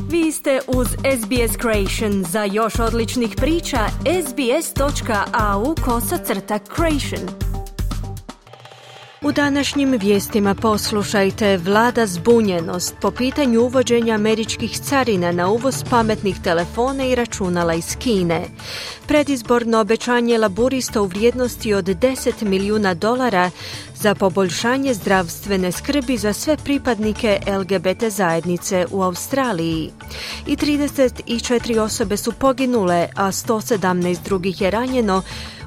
Vi ste uz SBS Creation. Za još odličnih priča, sbs.au/creation. U današnjim vijestima poslušajte: vlada zbunjenost po pitanju uvođenja američkih carina na uvoz pametnih telefona i računala iz Kine. Predizborno obećanje laburista u vrijednosti od $10 milijuna za poboljšanje zdravstvene skrbi za sve pripadnike LGBT zajednice u Australiji. I 34 osobe su poginule, a 117 drugih je ranjeno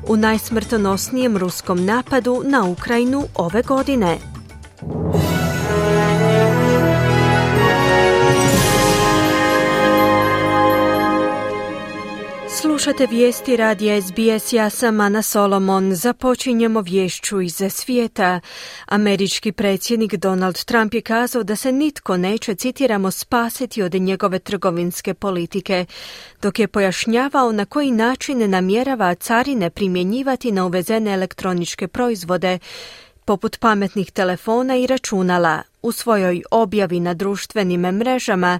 u najsmrtonosnijem ruskom napadu na Ukrajinu ove godine. Slušate vijesti radija SBS, ja sam Ana Solomon. Započinjemo vješću iz svijeta. Američki predsjednik Donald Trump je kazao da se nitko neće, citiramo, spasiti od njegove trgovinske politike, dok je pojašnjavao na koji način namjerava carine primjenjivati na uvezene elektroničke proizvode, poput pametnih telefona i računala. U svojoj objavi na društvenim mrežama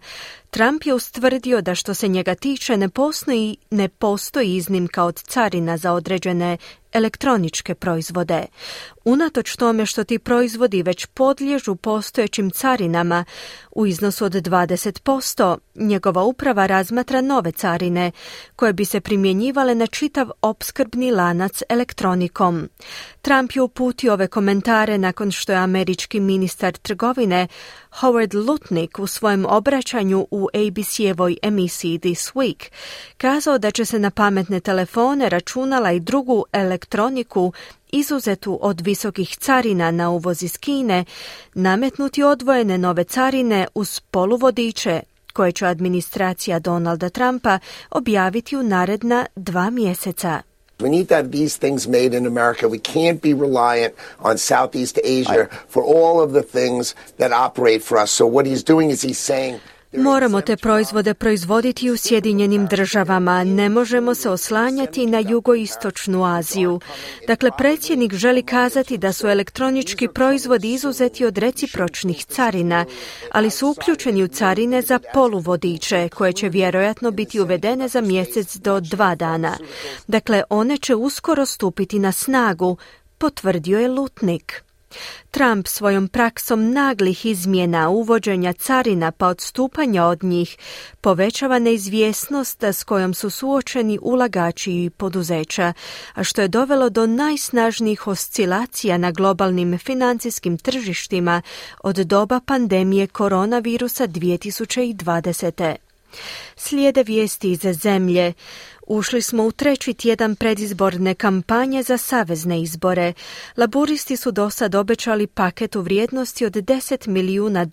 Trump je ustvrdio da što se njega tiče ne postoji iznimka od carina za određene elektroničke proizvode. Unatoč tome što ti proizvodi već podliježu postojećim carinama u iznosu od 20%, njegova uprava razmatra nove carine koje bi se primjenjivale na čitav opskrbni lanac elektronikom. Trump je uputio ove komentare nakon što je američki ministar trgovine Howard Lutnick u svojem obraćanju u ABC-evoj emisiji This Week kazao da će se na pametne telefone, računala i drugu elektroniku izuzetu od visokih carina na uvoz iz Kine nametnuti odvojene nove carine uz poluvodiče koje će administracija Donalda Trumpa objaviti u naredna 2 mjeseca. We need to have these things made in America. We can't be reliant on Southeast Asia for all of the things that operate for us. So what he's doing is he's saying moramo te proizvode proizvoditi u Sjedinjenim državama, ne možemo se oslanjati na jugoistočnu Aziju. Dakle, predsjednik želi kazati da su elektronički proizvodi izuzeti od recipročnih carina, ali su uključeni u carine za poluvodiče, koje će vjerojatno biti uvedene za mjesec do 2 dana. Dakle, one će uskoro stupiti na snagu, potvrdio je Lutnick. Trump svojom praksom naglih izmjena uvođenja carina pa odstupanja od njih povećava neizvjesnost s kojom su suočeni ulagači i poduzeća, a što je dovelo do najsnažnijih oscilacija na globalnim financijskim tržištima od doba pandemije koronavirusa 2020. Slijede vijesti iz zemlje. Ušli smo u 3. tjedan predizborne kampanje za savezne izbore. Laburisti su dosad obećali paket u vrijednosti od $10 milijuna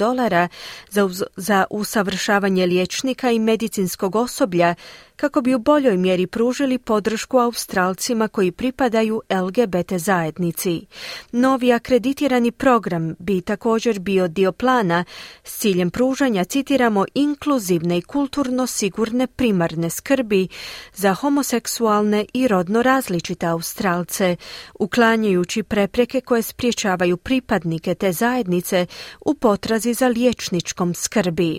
za usavršavanje liječnika i medicinskog osoblja kako bi u boljoj mjeri pružili podršku Australcima koji pripadaju LGBT zajednici. Novi akreditirani program bi također bio dio plana s ciljem pružanja, citiramo, inkluzivne i kulturno sigurne primarne skrbi za homoseksualne i rodno različite Australce, uklanjajući prepreke koje sprječavaju pripadnike te zajednice u potrazi za liječničkom skrbi.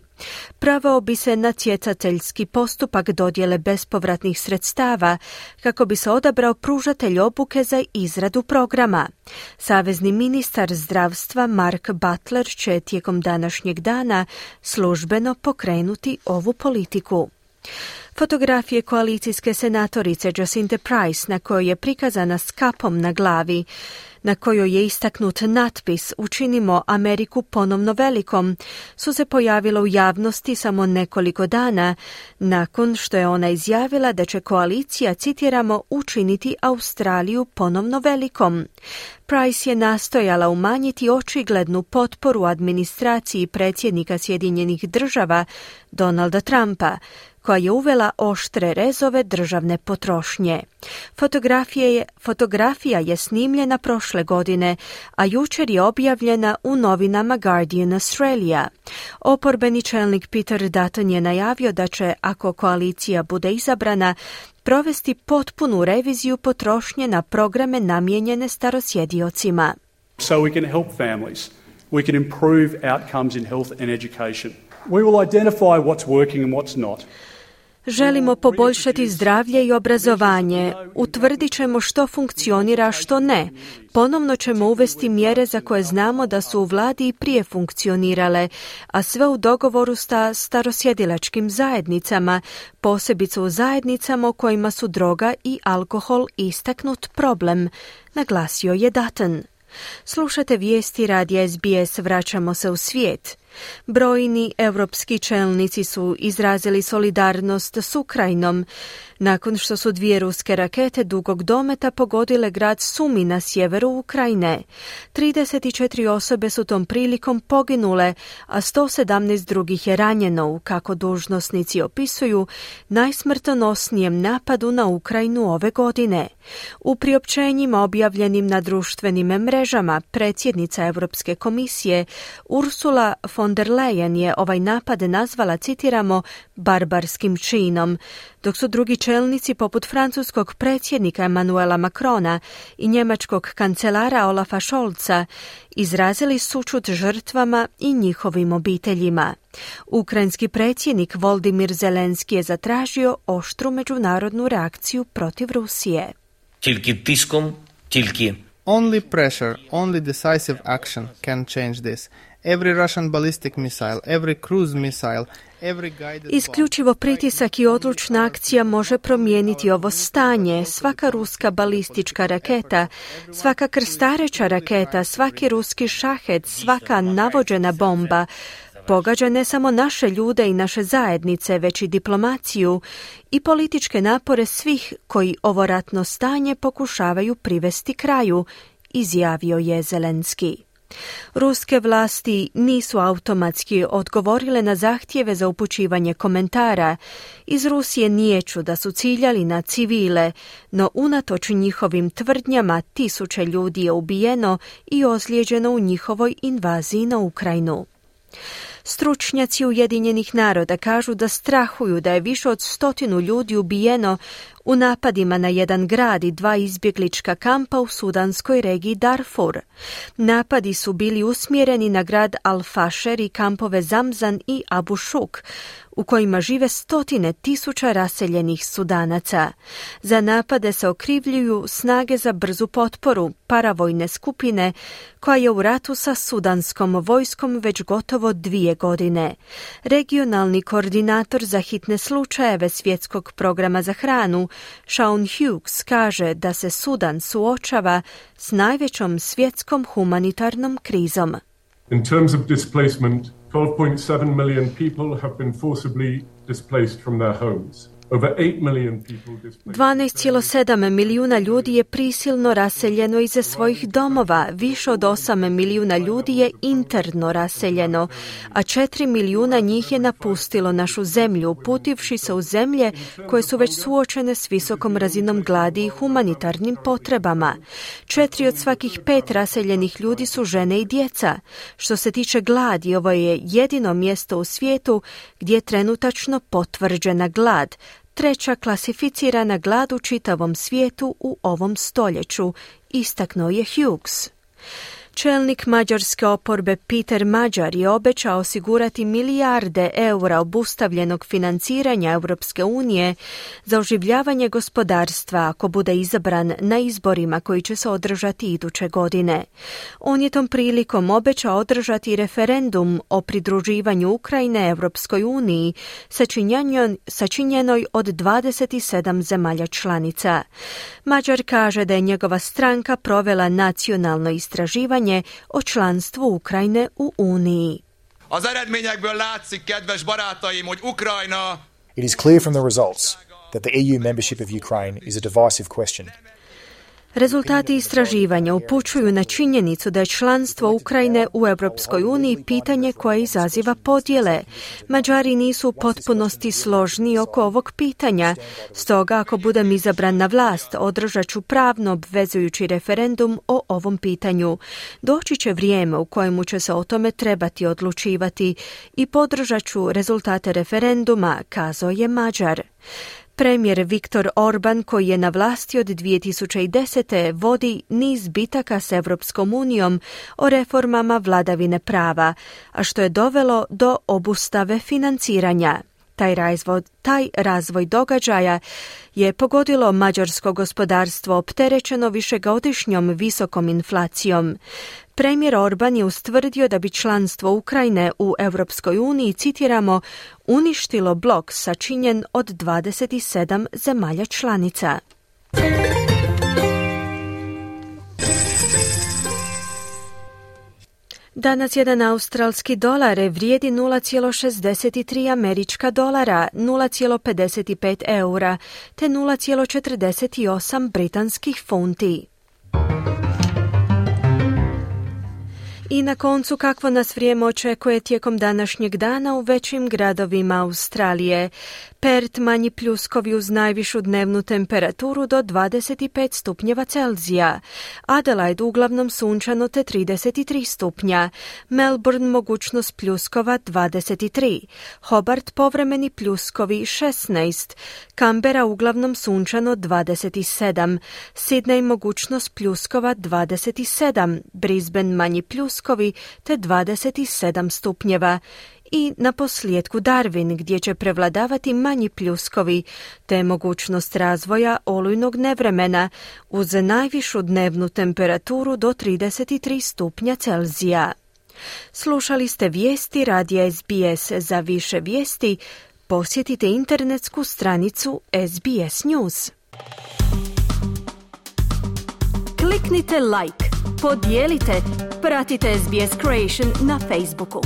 Proveo bi se natjecateljski postupak dodjele bespovratnih sredstava kako bi se odabrao pružatelj obuke za izradu programa. Savezni ministar zdravstva Mark Butler će tijekom današnjeg dana službeno pokrenuti ovu politiku. Fotografije koalicijske senatorice Jacinthe Price, na kojoj je prikazana s kapom na glavi, na kojoj je istaknut natpis "Učinimo Ameriku ponovno velikom", su se pojavile u javnosti samo nekoliko dana nakon što je ona izjavila da će koalicija, citiramo, učiniti Australiju ponovno velikom. Price je nastojala umanjiti očiglednu potporu administraciji predsjednika Sjedinjenih država Donalda Trumpa, koja je uvela oštre rezove državne potrošnje. Fotografija je snimljena prošle godine, a jučer je objavljena u novinama Guardian Australia. Oporbeni čelnik Peter Dutton je najavio da će, ako koalicija bude izabrana, provesti potpunu reviziju potrošnje na programe namijenjene starosjediocima. So we can help families. We can improve outcomes in health and education. We will identify what's working and what's not. Želimo poboljšati zdravlje i obrazovanje. Utvrdit ćemo što funkcionira, a što ne. Ponovno ćemo uvesti mjere za koje znamo da su u vladi i prije funkcionirale, a sve u dogovoru sa starosjedilačkim zajednicama, posebice u zajednicama u kojima su droga i alkohol istaknut problem, naglasio je Dutton. Slušate vijesti radija SBS, vraćamo se u svijet. Brojni europski čelnici su izrazili solidarnost s Ukrajinom nakon što su 2 ruske rakete dugog dometa pogodile grad Sumi na sjeveru Ukrajine. 34 osobe su tom prilikom poginule, a 117 drugih je ranjeno u, kako dužnosnici opisuju, najsmrtonosnijem napadu na Ukrajinu ove godine. U priopćenjima objavljenim na društvenim mrežama predsjednica Europske komisije Ursula von der Leyen je ovaj napad nazvala, citiramo, barbarskim činom, dok su drugi čelnici poput francuskog predsjednika Emmanuela Macrona i njemačkog kancelara Olafa Scholza izrazili sućut žrtvama i njihovim obiteljima. Ukrajinski predsjednik Volodymyr Zelenski je zatražio oštru međunarodnu reakciju protiv Rusije. Only pressure, only decisive action can change this. Every Russian ballistic missile, every cruise missile, every guided... Isključivo pritisak i odlučna akcija može promijeniti ovo stanje. Svaka ruska balistička raketa, svaka krstareća raketa, svaki ruski šahed, svaka navođena bomba pogađa ne samo naše ljude i naše zajednice, već i diplomaciju i političke napore svih koji ovo ratno stanje pokušavaju privesti kraju, izjavio je Zelenski. Ruske vlasti nisu automatski odgovorile na zahtjeve za upućivanje komentara. Iz Rusije niječu da su ciljali na civile, no unatoč njihovim tvrdnjama 1000 ljudi je ubijeno i ozlijeđeno u njihovoj invaziji na Ukrajinu. Stručnjaci Ujedinjenih naroda kažu da strahuju da je više od 100 ljudi ubijeno u napadima na jedan grad i 2 izbjeglička kampa u sudanskoj regiji Darfur. Napadi su bili usmjereni na grad Al-Fasher i kampove Zamzan i Abu Shuk, u kojima žive 100.000 raseljenih Sudanaca. Za napade se okrivljuju snage za brzu potporu, paravojne skupine, koja je u ratu sa sudanskom vojskom već gotovo 2 godine. Regionalni koordinator za hitne slučajeve Svjetskog programa za hranu, Shaun Hughes, kaže da se Sudan suočava s najvećom svjetskom humanitarnom krizom. In terms of displacement, 12.7 million people have been forcibly displaced from their homes. 12,7 milijuna ljudi je prisilno raseljeno iz svojih domova, više od 8 milijuna ljudi je interno raseljeno, a 4 milijuna njih je napustilo našu zemlju, uputivši se u zemlje koje su već suočene s visokom razinom gladi i humanitarnim potrebama. 4 od svakih 5 raseljenih ljudi su žene i djeca. Što se tiče gladi, ovo je jedino mjesto u svijetu gdje je trenutačno potvrđena glad, 3. klasificirana glad u čitavom svijetu u ovom stoljeću, istaknuo je Hughes. Čelnik mađarske oporbe Peter Magyar je obećao osigurati milijarde eura obustavljenog financiranja Europske unije za oživljavanje gospodarstva ako bude izabran na izborima koji će se održati iduće godine. On je tom prilikom obećao održati referendum o pridruživanju Ukrajine Europskoj uniji sačinjenoj od 27 zemalja članica. Magyar kaže da je njegova stranka provela nacionalno istraživanje o članstvu Ukrajine u Uniji. It is clear from the results that the EU membership of Ukraine is a divisive question. Rezultati istraživanja upućuju na činjenicu da je članstvo Ukrajine u Europskoj uniji pitanje koje izaziva podjele. Mađari nisu u potpunosti složni oko ovog pitanja. Stoga, ako budem izabran na vlast, održat ću pravno obvezujući referendum o ovom pitanju. Doći će vrijeme u kojemu će se o tome trebati odlučivati i podržat ću rezultate referenduma, kazao je Magyar. Premijer Viktor Orban, koji je na vlasti od 2010. vodi niz bitaka s Europskom unijom o reformama vladavine prava, a što je dovelo do obustave financiranja. Taj razvoj događaja je pogodilo mađarsko gospodarstvo opterećeno višegodišnjom visokom inflacijom. Premijer Orban je ustvrdio da bi članstvo Ukrajine u Europskoj uniji, citiramo, uništilo blok sačinjen od 27 zemalja članica. Danas jedan australski dolar vrijedi 0,63 američka dolara, 0,55 eura te 0,48 britanskih funti. I na koncu, kakvo nas vrijeme očekuje tijekom današnjeg dana u većim gradovima Australije. Perth manji pljuskovi uz najvišu dnevnu temperaturu do 25 stupnjeva Celzija. Adelaide uglavnom sunčano te 33 stupnja. Melbourne mogućnost pljuskova 23. Hobart povremeni pljuskovi 16. Canberra uglavnom sunčano 27. Sydney mogućnost pljuskova 27. Brisbane manji pljuskovi te 27 stupnjeva. I na posljedku Darwin, gdje će prevladavati manji pljuskovi, te mogućnost razvoja olujnog nevremena uz najvišu dnevnu temperaturu do 33 stupnja Celzija. Slušali ste vijesti radija SBS. Za više vijesti posjetite internetsku stranicu SBS News. Kliknite like, podijelite, pratite SBS Creation na Facebooku.